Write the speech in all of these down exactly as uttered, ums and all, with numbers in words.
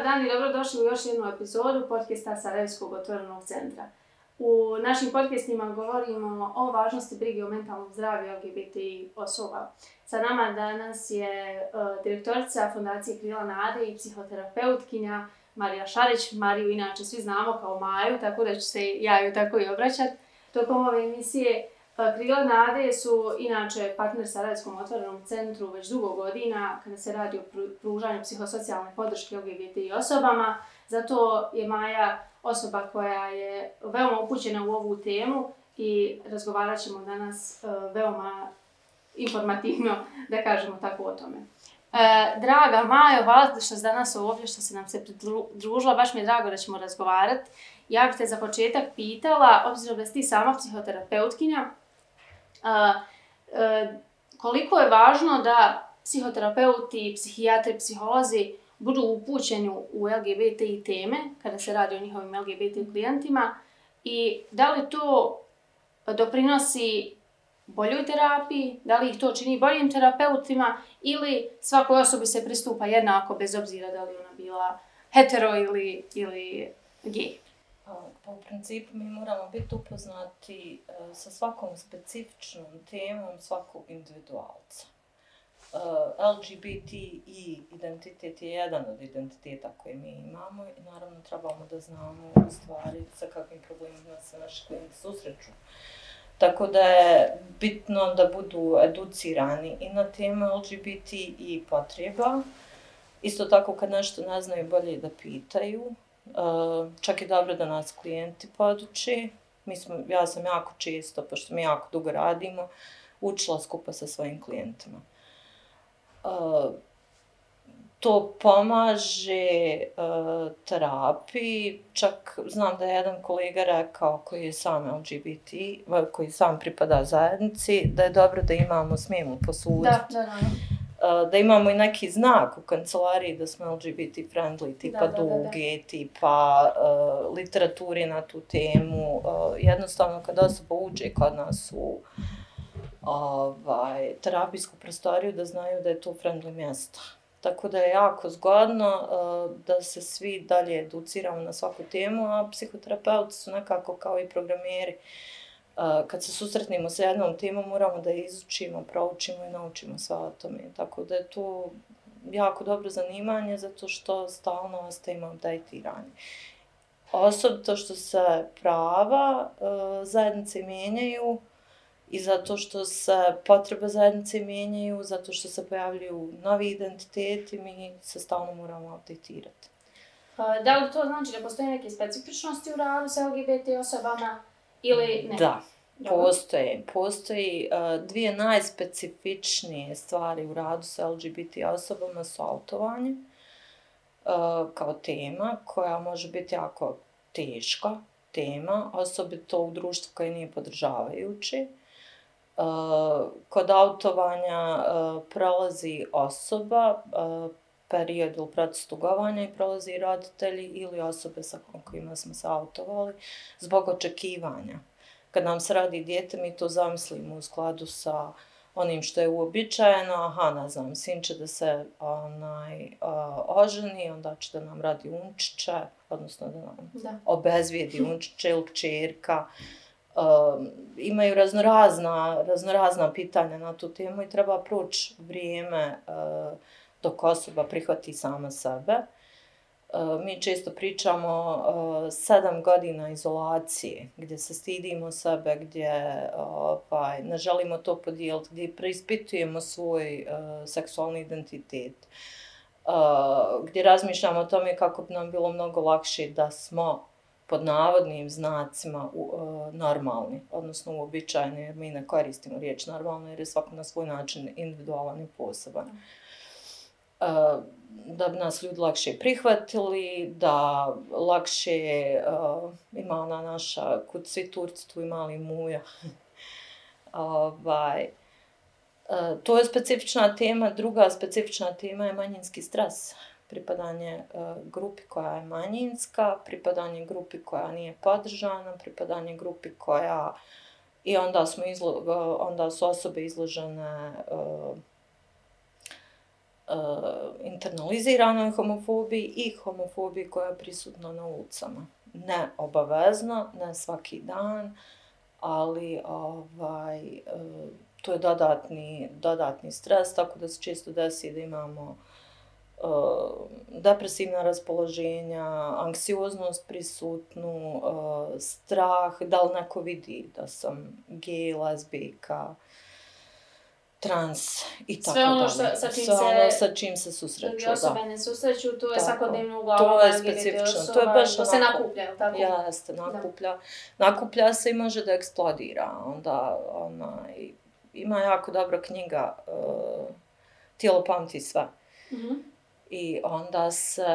dan i dobrodošli u još jednu epizodu podcasta Sarajevskog otvorenog centra. U našim podcastima govorimo o važnosti brige o mentalnom zdravlju L G B T I osoba. Sa nama danas je uh, direktorica Fondacije Krila nade i psihoterapeutkinja Marija Šarić. Mariju inače svi znamo kao Maju, tako da ću se ja ju tako i obraćati. Tokom ove emisije Krila nade su inače partner Sarajevskom otvorenom centru već dugo godina kada se radi o pružanju psihosocijalne podrške L G B T I osobama. Zato je Maja osoba koja je veoma upućena u ovu temu i razgovarat ćemo danas uh, veoma informativno, da kažemo tako o tome. Uh, draga Majo, hvala što si danas ovdje, što si nam se pridružila, baš mi je drago da ćemo razgovarati. Ja bih te za početak pitala, obzirom da si ti sama psihoterapeutkinja, uh, uh, koliko je važno da psihoterapeuti, psihijatri, psiholozi budu upućeni u L G B T I teme kada se radi o njihovim L G B T I klijentima i da li to doprinosi boljoj terapiji, da li ih to čini boljim terapeutima ili svakoj osobi se pristupa jednako bez obzira da li ona bila hetero ili, ili gej. Pa u principu mi moramo biti upoznati uh, sa svakom specifičnom temom svakog individualca. Uh, L G B T I identitet je jedan od identiteta koje mi imamo i naravno trebamo da znamo u stvari sa kakvim problemima se naši klijenti susreću. Tako da je bitno da budu educirani i na teme L G B T I potreba. Isto tako kad nešto ne znaju, bolje da pitaju. Uh, čak je dobro da nas klijenti poduče. Mi smo, ja sam jako često, pošto mi jako dugo radimo, učila skupa sa svojim klijentima. Uh, to pomaže uh, terapiji. Čak znam da je jedan kolega rekao koji je sam L G B T, koji sam pripada zajednici, da je dobro da imamo, smijemo posuditi. Da, da, da. Uh, da imamo i neki znak u kancelariji da smo L G B T friendly, tipa da, da, duge, da, da. tipa uh, literaturi na tu temu. Uh, jednostavno kad osoba uđe kod nas u ovaj, terapijsku prostoriju, da znaju da je to friendly mjesto. Tako da je jako zgodno uh, da se svi dalje educiramo na svaku temu, a psihoterapeuti su nekako kao i programeri. Uh, kad se susretnemo sa jednom temom, moramo da je izučimo, proučimo i naučimo sve o tome. Tako da je to jako dobro zanimanje, zato što stalno ostajemo updateirani. Osobito što se prava uh, zajednice mijenjaju, i zato što se potrebe zajednice mijenjaju, zato što se pojavljuju novi identiteti, mi se stalno moramo updateirati. Da li to znači da postoje neke specifičnosti u radu sa L G B T osobama ili ne? Da, postoje. Postoji uh, dvije najspecifičnije stvari u radu sa L G B T osobama su autovanje uh, kao tema koja može biti jako teška tema, osobito u društvu koje nije podržavajuće. Uh, kod autovanja uh, prolazi osoba, uh, period ili proces tugovanja i prolazi roditelji ili osobe sa kojima smo se autovali zbog očekivanja. Kad nam se radi dijete, mi to zamislimo u skladu sa onim što je uobičajeno. Aha, ne znam, sin će da se onaj, uh, oženi, onda će da nam radi unčiće, odnosno da nam da. obezvijedi unčiće ili kćerka. Uh, imaju raznorazna, raznorazna pitanja na tu temu i treba proći vrijeme uh, dok osoba prihvati sama sebe. Uh, mi često pričamo uh, sedam godina izolacije, gdje se stidimo sebe, gdje uh, pa, ne želimo to podijeliti, gdje preispitujemo svoj uh, seksualni identitet, uh, gdje razmišljamo o tome kako bi nam bilo mnogo lakše da smo pod navodnim znacima u, uh, normalni, odnosno uobičajeni, jer mi ne koristimo riječ normalno, jer je svako na svoj način individualan i poseban. Uh, da bi nas ljudi lakše prihvatili, da lakše uh, ima ona naša, kud svi Turci, tu i mali Muja. ovaj, uh, to je specifična tema. Druga specifična tema je manjinski stres. Pripadanje uh, grupi koja je manjinska, pripadanje grupi koja nije podržana, pripadanje grupi koja... I onda, smo izlo, uh, onda su osobe izložene uh, internaliziranoj homofobiji i homofobiji koja je prisutna na ulicama. Ne obavezno, ne svaki dan, ali ovaj, to je dodatni, dodatni stres, tako da se često desi da imamo uh, depresivna raspoloženja, anksioznost prisutnu, uh, strah, da li neko vidi da sam gej, lezbijka, trans i tako sve ono dalje. Što, sa čim sve se, ono sa čim se susreću, druge osobe da. ne susreću, to je Tako. svakodnevno uglavnom To je L G B T specifično, osoba, to je baš to se onako- nakuplja, jel tako? Jeste, nakuplja. Nakuplja se i može da eksplodira. Onda, onaj, ima jako dobra knjiga uh, Tijelo pamti sve. Mhm. I onda se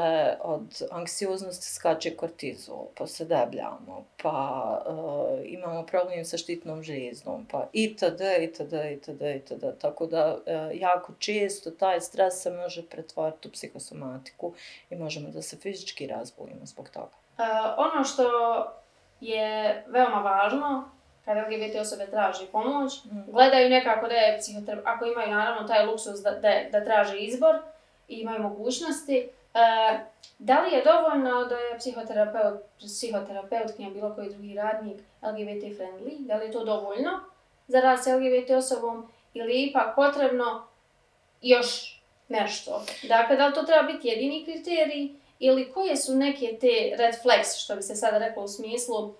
od anksioznosti skače kortizol, pa se debljamo, pa uh, imamo problem sa štitnom žlijezdom, pa itd., itd., itd., itd. Tako da uh, jako često taj stres se može pretvoriti u psihosomatiku i možemo da se fizički razbolimo zbog toga. Uh, ono što je veoma važno, kada L G B T osobe traži pomoć, Mm. gledaju nekako da je psihoterapeut, ako imaju naravno taj luksus da, da, da traže izbor i imaju mogućnosti, uh, da li je dovoljno da je psihoterapeut, psihoterapeutkinja, bilo koji drugi radnik L G B T friendly, da li je to dovoljno za rad s L G B T osobom ili je ipak potrebno još nešto? Dakle, da li to treba biti jedini kriterij ili koje su neke te red flags, što bi se sada reklo u smislu, uh,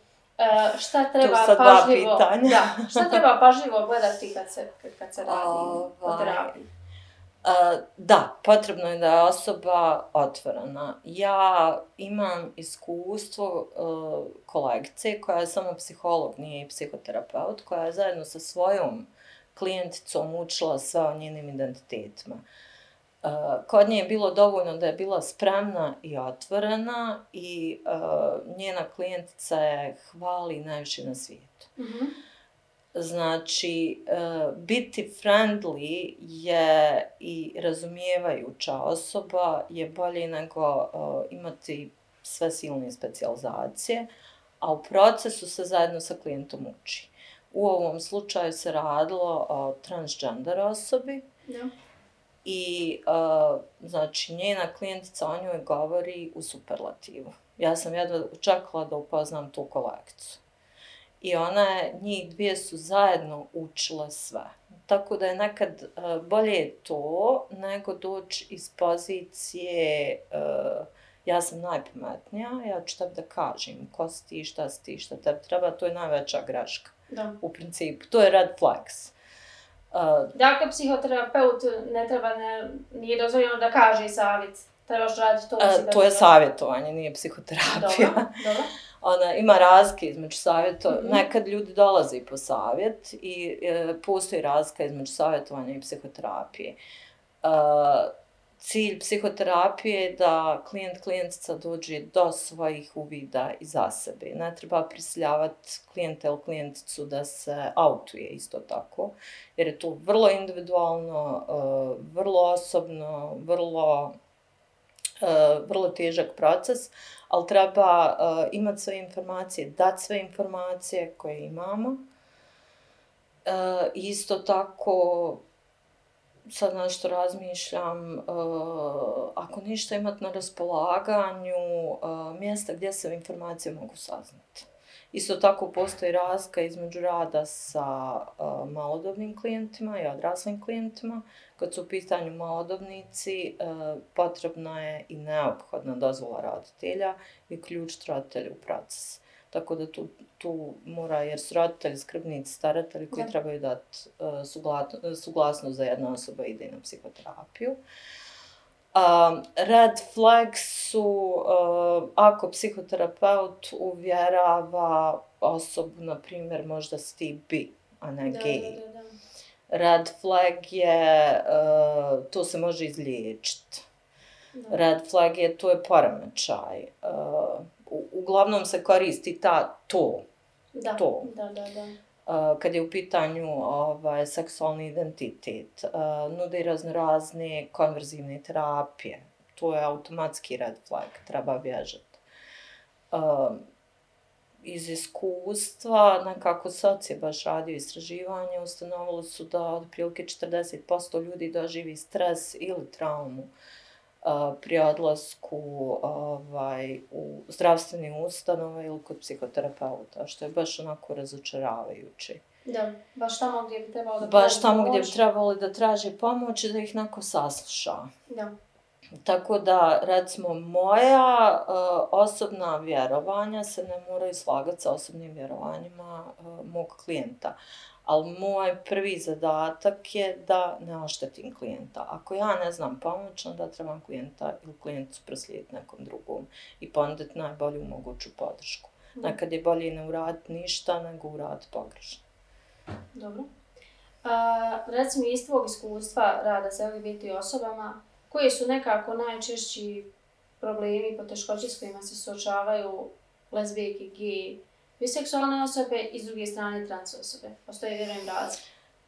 šta treba To su dva pažljivo, pitanja. da, šta treba pažljivo gledati kad se, kad se radi o Ovaj, terapiji? Uh, da, potrebno je da je osoba otvorena. Ja imam iskustvo uh, kolegice koja je samo psiholog, nije i psihoterapeut, koja je zajedno sa svojom klijenticom učila sve o njenim identitetima. Uh, kod nje je bilo dovoljno da je bila spremna i otvorena i uh, njena klijentica je hvali najviše na svijetu. Mhm. Znači, uh, biti friendly je i razumijevajuća osoba je bolje nego uh, imati sve silne specijalizacije, a u procesu se zajedno sa klijentom uči. U ovom slučaju se radilo o transgender osobi Da. i uh, znači njena klijentica o njoj govori u superlativu. Ja sam jedva čekala da upoznam tu kolegicu. I ona je, njih dvije su zajedno učile sve. Tako da je nekad uh, bolje to nego doći iz pozicije uh, ja sam najpametnija, ja ću tebi da kažem ko si ti, šta si ti, šta tebi treba, to je najveća greška. Da. U principu, to je red flags. Uh, Dakle, psihoterapeut ne treba, ne, nije dozvoljeno da kaže savjet. Trebaš raditi to. uh, to je savjetovanje, nije psihoterapija. Dobro, dobro. Ona, ima razlike između savjeta. Mhm. Nekad ljudi dolaze po savjet i e, postoji razlika između savjetovanja i psihoterapije. Uh, cilj psihoterapije je da klijent, klijentica dođe do svojih uvida iza sebe. Ne treba prisiljavati klijenta ili klijenticu da se autuje isto tako, jer je to vrlo individualno, uh, vrlo osobno, vrlo, uh, vrlo težak proces, ali treba uh, imati sve informacije, dati sve informacije koje imamo. Uh, isto tako, sad nešto razmišljam, uh, ako ništa imati na raspolaganju, uh, mjesta gdje se informacije mogu saznati. Isto tako postoji razlika između rada sa uh, malodobnim klijentima i odraslim klijentima. Kad su u pitanju malodobnici, uh, potrebna je i neophodna dozvola roditelja i uključiti roditelje u proces. Tako da tu, tu mora, jer su roditelji, skrbnici, staratelji koji Da. trebaju dati uh, sugla- suglasnost za jedna osoba ide na psihoterapiju. Um, red flags su uh, ako psihoterapeut uvjerava osobu, na primjer, možda si ti bi, a ne Da, gej. da, da, da. Red flag je, uh, to se može izliječiti. Da. Red flag je, to je poremećaj. Uh, u, uglavnom se koristi ta to, Da, to. da, da, da. Uh, kad je u pitanju ovaj, seksualni identitet. Uh, nude raznorazne konverzivne terapije. To je automatski red flag, treba bježati. Uh, iz iskustva, nekako sad je baš radio istraživanje, ustanovilo su da otprilike četrdeset posto ljudi doživi stres ili traumu uh, pri odlasku ovaj, u zdravstveni ustanove ili kod psihoterapeuta, što je baš onako razočaravajuće. Da, baš tamo gdje bi trebalo da Baš tamo gdje bi trebalo da traži pomoć i da ih neko sasluša. Da. Tako da, recimo, moja uh, osobna vjerovanja se ne moraju slagati sa osobnim vjerovanjima uh, mog klijenta. Ali moj prvi zadatak je da ne oštetim klijenta. Ako ja ne znam pomoć, onda trebam klijenta ili klijentu proslijediti nekom drugom i ponuditi najbolju moguću podršku. Mm. Nekad je bolje ne uraditi ništa nego uraditi pogrešno. Dobro. A, recimo, iz tvojeg iskustva rada sa L G B T osobama, koji su nekako najčešći problemi i poteškoće s kojima se suočavaju lezbijke, gej, biseksualne osobe i s druge strane trans osobe? Postoje, vjerujem, razlike.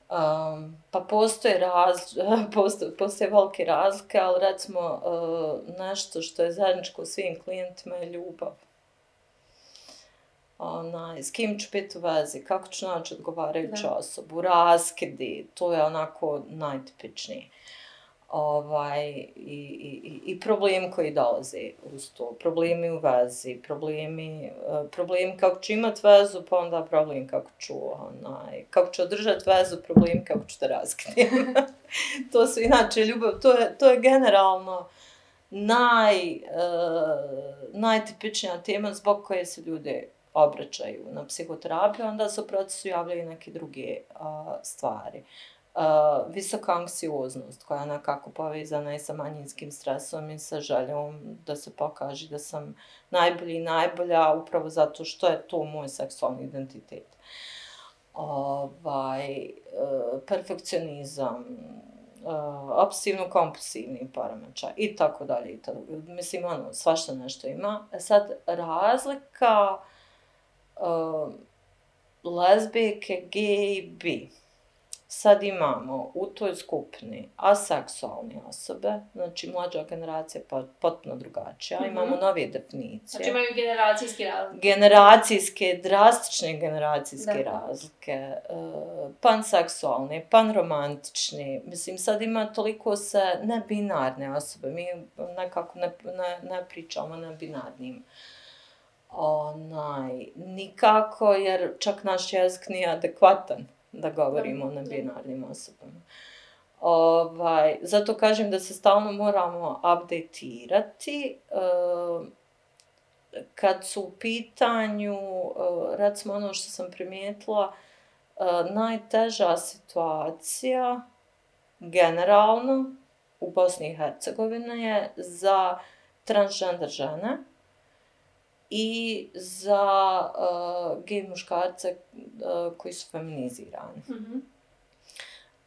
Um, pa postoje, raz, postoje, postoje velike razlike, ali recimo uh, nešto što je zajedničko svim klijentima je ljubav. Onaj, s kim ću biti u vezi, kako ću naći odgovarajuću osobu, raskidi, to je onako najtipičnije. Ovaj, i, i, i problemi koji dolaze uz to, problemi u vezi, problemi, problemi kako ću imati vezu, pa onda problem kako ću, onaj, kako ću održati vezu, problem kako ću da raskidim. To su inače ljubav, to je, to je generalno naj, uh, najtipičnija tema zbog koje se ljudi obraćaju na psihoterapiju, onda se u procesu javljaju neke druge uh, stvari. Uh, visoka anksioznost koja je nekako povezana i sa manjinskim stresom i sa željom da se pokaže da sam najbolji i najbolja upravo zato što je to moj seksualni identitet. Ovaj, uh, perfekcionizam, uh, obsesivno-kompulsivni poremećaj i tako dalje. Mislim, ono, svašta nešto ima. Sad, razlika uh, lezbijke, gej, bi. Sad imamo u toj skupini aseksualne osobe, znači mlađa generacija je potpuno drugačija, mm-hmm. imamo nove definicije. Znači imaju generacijske razlike. Generacijske, drastične generacijske da. razlike, uh, panseksualne, panromantične, mislim sad ima toliko se nebinarne osobe, mi nekako ne, ne, ne pričamo na binarnim. Onaj, nikako, jer čak naš jezik nije adekvatan da govorimo o nebinarnim osobama. Ovaj, zato kažem da se stalno moramo updateirati. Uh, kad su u pitanju, uh, recimo ono što sam primijetila, uh, najteža situacija generalno u Bosni i Hercegovini je za transgender žene i za uh, gej muškarce uh, koji su feminizirani. Mm-hmm.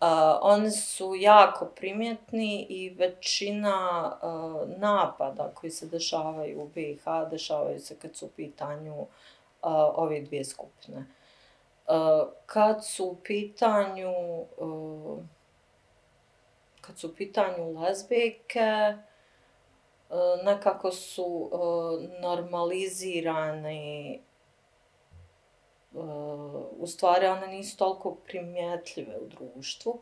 Uh, oni su jako primjetni i većina uh, napada koji se dešavaju u B i H dešavaju se kad su u pitanju uh, ove dvije skupine. Uh, kad su u pitanju uh, kad su u pitanju lezbijke, nekako su uh, normalizirane, uh, u stvari one nisu toliko primjetljive u društvu,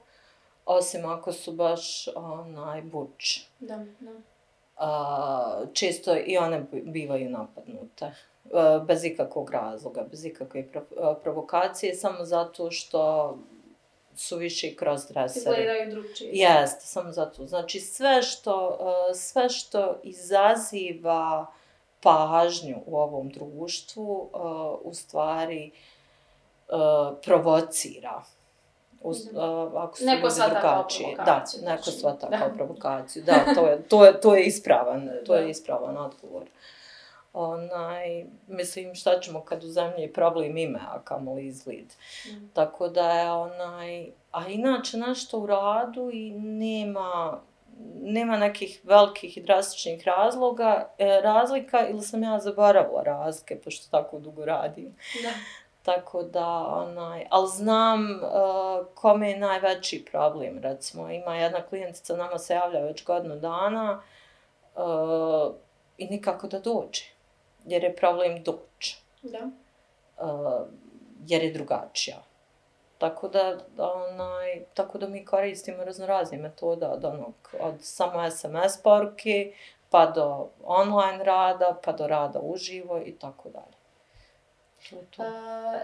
osim ako su baš onaj buč. Da, da. Uh, često i one bivaju napadnute, uh, bez ikakvog razloga, bez ikakve prov- provokacije, samo zato što su više kroz dresere. Izgledaju drugčije. Jeste, samo zato. Znači sve što, uh, sve što izaziva pažnju u ovom društvu, uh, u stvari uh, provocira. Uz, uh, ako su neko ljudi drugačije. Da, znači. neko svata kao provokaciju. Da, to je, to je, to je ispravan, to je ispravan odgovor. Onaj, mislim, šta ćemo kad u zemlji je problem ime, a kamoli izgled. Mm. Tako da je onaj, a inače nešto u radu i nema, nema nekih velikih i drastičnih razloga, e, razlika ili sam ja zaboravila razlike, pošto tako dugo radim. Da. Tako da, onaj, ali znam uh, kome je najveći problem, recimo, ima jedna klijentica, nama se javlja već godinu dana uh, i nikako da dođe. Jer je problem doći. Da. uh, jer je drugačija. Tako da, onaj, tako da mi koristimo raznorazne metode od onog, od samo es em es poruke, pa do online rada, pa do rada uživo i tako dalje. To je to. Uh,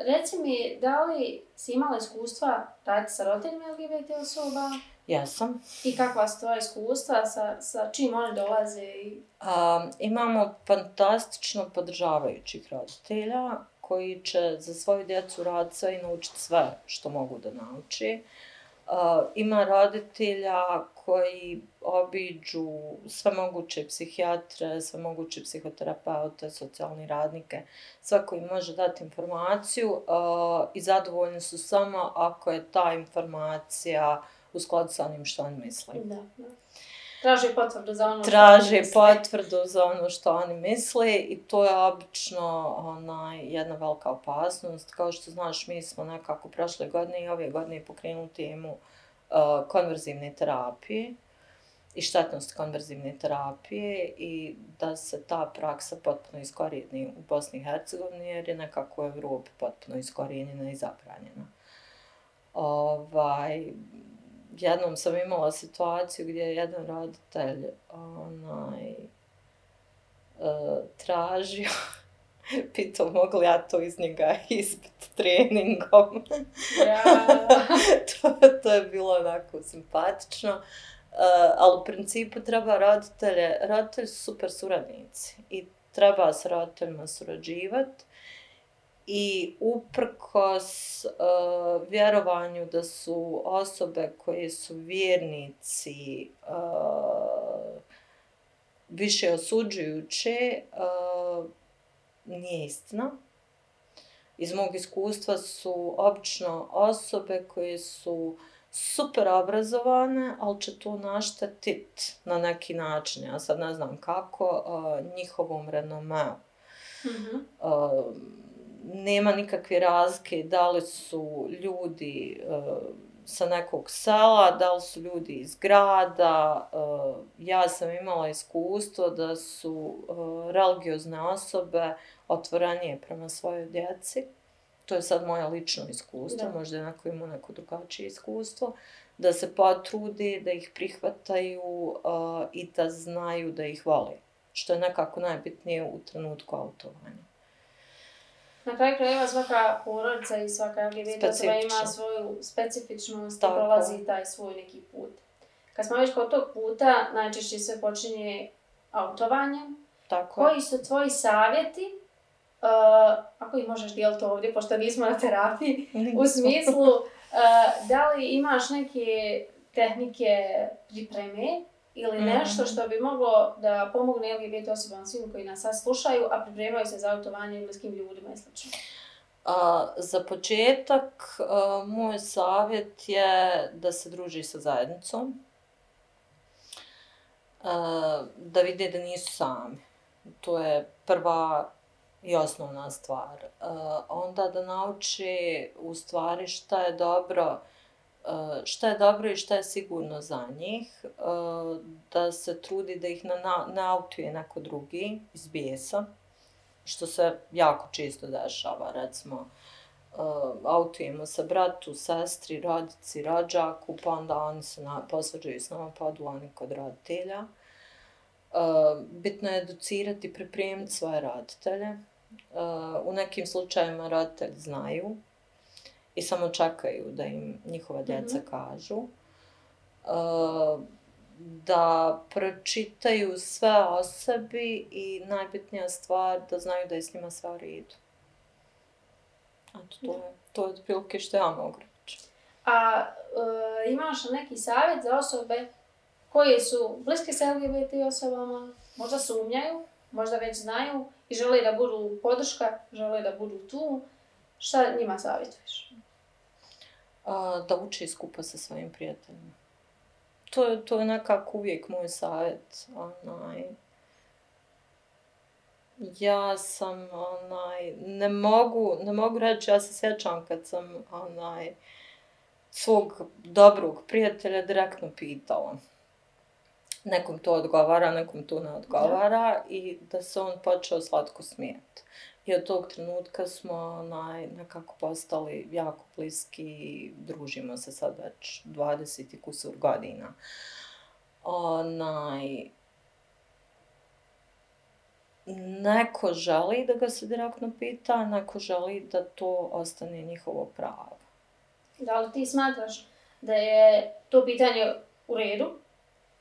reci mi, da li si imala iskustva raditi sa roditeljima el ge be te osoba? Jesam. I kakva su tvoja iskustva, sa, sa čim oni dolaze? I... Um, imamo fantastično podržavajućih roditelja koji će za svoju djecu raditi sve i naučiti sve što mogu da nauči. Uh, ima roditelja koji obiđu sve moguće psihijatre, sve moguće psihoterapeute, socijalne radnike, sve koji može dati informaciju uh, i zadovoljni su samo ako je ta informacija u skladu sa onim što oni misle. Da, da. Traže potvrdu za ono Traže što oni misle. potvrdu za ono što oni misle i to je obično onaj, jedna velika opasnost. Kao što znaš, mi smo nekako prošle godine i ove godine pokrenuli temu uh, konverzivne terapije i štetnost konverzivne terapije i da se ta praksa potpuno iskorijeni u Bosni i Hercegovini jer je nekako u Evropi potpuno iskorijenjena i zabranjena. Ovaj... Jednom sam imala situaciju gdje je jedan roditelj onaj, uh, tražio, pitao mogu li ja to iz njega izbiti treningom. Ja. to, to je bilo onako simpatično, uh, ali u principu treba roditelje, roditelji su super suradnici i treba s roditeljima surađivati. I uprkos uh, vjerovanju da su osobe koje su vjernici uh, više osuđujuće, uh, nije istina. Iz mog iskustva su obično osobe koje su super obrazovane, ali će to naštetiti na neki način. Ja sad ne znam kako, uh, njihovom renomeu. Mm-hmm. Uh, nema nikakve razlike da li su ljudi uh, sa nekog sela, da li su ljudi iz grada. Uh, ja sam imala iskustvo da su uh, religiozne osobe otvorenije prema svojoj djeci. To je sad moje lično iskustvo, da. Možda je neko ima neko drugačije iskustvo. Da se potrudi, da ih prihvataju uh, i da znaju da ih vole. Što je nekako najbitnije u trenutku autovanja. Na kraju krajeva svaka porodica i svaka el ge be te osoba ima svoju specifičnost i prolazi taj svoj neki put. Kad smo već kod tog puta, najčešće sve počinje autovanjem. Tako. Koji su tvoji savjeti, uh, ako ih možeš dijeliti ovdje, pošto nismo na terapiji, u smislu uh, da li imaš neke tehnike pripreme ili nešto što bi moglo da pomogne el ge be te osobama svim koji nas sad slušaju, a pripremaju se za autovanje bliskim ljudima i sl. A, za početak, a, moj savjet je da se druži sa zajednicom, a, da vide da nisu sami. To je prva i osnovna stvar. A, onda da nauče u stvari šta je dobro, šta je dobro i šta je sigurno za njih, da se trudi da ih ne autuje neko drugi iz bijesa, što se jako često dešava, recimo autujemo se bratu, sestri, rodici, rođaku, pa onda oni se posvađaju s nama, pa odu oni kod roditelja. Bitno je educirati i pripremiti svoje roditelje. U nekim slučajevima roditelji znaju i samo čekaju da im njihova djeca mm-hmm. kažu, uh, da pročitaju sve o sebi i najbitnija stvar da znaju da je s njima sve u redu. Eto, to je, to je otprilike što ja mogu reći. A uh, imaš neki savjet za osobe koje su bliske sa el ge be te osobama, možda sumnjaju, možda već znaju i žele da budu podrška, žele da budu tu, šta njima savjetuješ? A, da uči skupa sa svojim prijateljima. To je, to je nekako uvijek moj savjet. Onaj, ja sam, onaj, ne mogu, ne mogu reći, ja se sjećam kad sam onaj, svog dobrog prijatelja direktno pitala. nekom to odgovara, nekom to ne odgovara da. I da se on počeo slatko smijeti. I od tog trenutka smo onaj, nekako postali jako bliski i družimo se sad već dvadeset i kusur godina. Onaj, neko želi da ga se direktno pita, neko želi da to ostane njihovo pravo. Da li ti smatraš da je to pitanje u redu?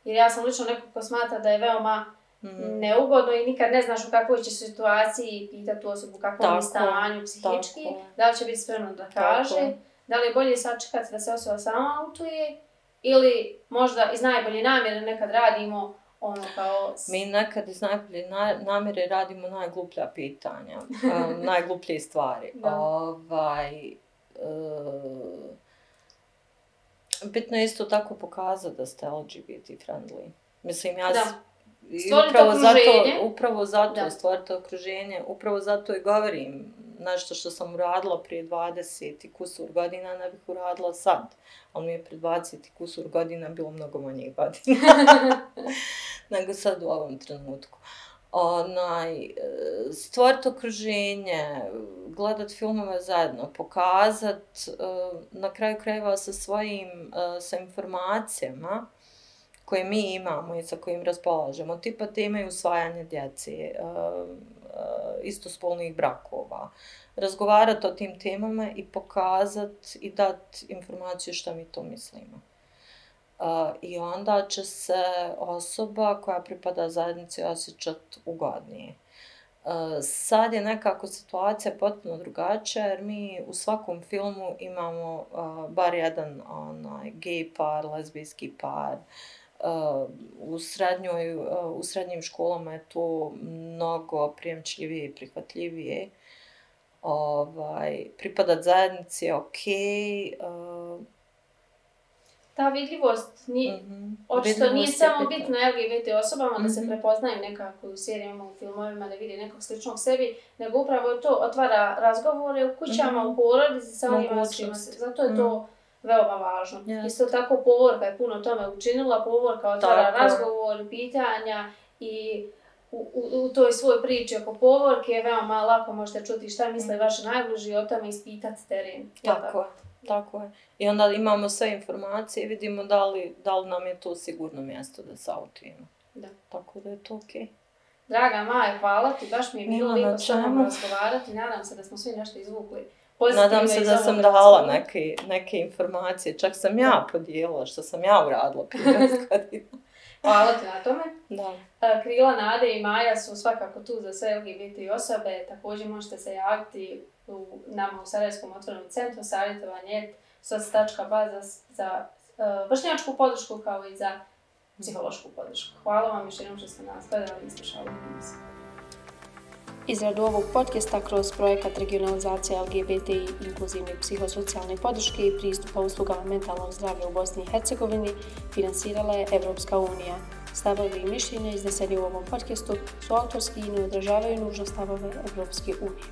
Jer ja sam lično neko ko smatra da je veoma mm. neugodno i nikad ne znaš u kakvoj će situaciji pitati tu osobu u kakvom je stanju psihički, tako. Da li će biti spremno da kaže, tako. Da li je bolje sačekati da se osoba sama autuje ili možda iz najbolje namjere nekad radimo ono kao... Mi nekad iz najbolje namjere radimo najgluplja pitanja, um, najgluplje stvari. Ovaj, uh, bitno je isto tako pokazati da ste L G B T friendly. Mislim, ja... Da. Upravo zato, upravo zato stvorite okruženje, upravo zato i govorim nešto što sam uradila prije dvadeset i kusur godina, ne bih uradila sad. Ali mi je prije dvadeset i kusur godina bilo mnogo manjih godina nego sad u ovom trenutku. Onaj, stvoriti okruženje, gledat filmove zajedno, pokazat na kraju krajeva sa svojim, sa informacijama koje mi imamo i sa kojim raspolažemo, tipa teme usvajanja djece, istospolnih brakova, razgovarati o tim temama i pokazati i dati informaciju što mi to mislimo. I onda će se osoba koja pripada zajednici osjećati ugodnije. Sad je nekako situacija potpuno drugačija jer mi u svakom filmu imamo bar jedan onaj, gej par, lezbijski par. Uh, u, srednjoj, uh, u srednjim školama je to mnogo prijemčljivije i prihvatljivije. Ovaj, pripadat zajednici je okej. Okay. Uh, Ta vidljivost nije, mm-hmm. očito nije samo bitno L G B T osobama mm-hmm. da se prepoznaju nekako u serijama, u filmovima, da vidi nekog sličnog sebi, nego upravo to otvara razgovore u kućama, mm-hmm. u porodici sa onima s čima se. Zato je to mm-hmm. veoma važno. Yes. Isto tako povorka je puno tome učinila, povorka otvara tako. Razgovor, pitanja i u, u, u toj svoj priči oko povorke je veoma lako možete čuti šta misle mm. vaši najbliži o tome ispitati teren. Tako, tako je, tako je. I onda imamo sve informacije i vidimo da li, da li nam je to sigurno mjesto da se autujemo. Da. Tako da je to okej. Okay. Draga Maja, hvala ti, baš mi je bilo lijepo s vama razgovarati. Nadam se da smo svi nešto izvukli. Nadam se da sam dala neke, neke informacije, čak sam ja podijelila što sam ja uradila prije godina. Hvala ti na tome. Da. Krila Nade i Maja su svakako tu za sve L G B T osobe, također možete se javiti u nama u Sarajevskom otvorenom centru savjetovanje soc tačka ba za, za uh, vršnjačku podršku kao i za psihološku podršku. Hvala vam još jednom što ste nas gledali i slušali. Izradu ovog podcasta kroz projekat regionalizacije L G B T i inkluzivne psihosocijalne podrške i pristupa uslugama mentalnog zdravlja u Bosni i Hercegovini finansirala je Evropska unija. Stavovi i mišljenja izneseni u ovom podcastu su autorski i ne odražavaju nužno stavove Evropske unije.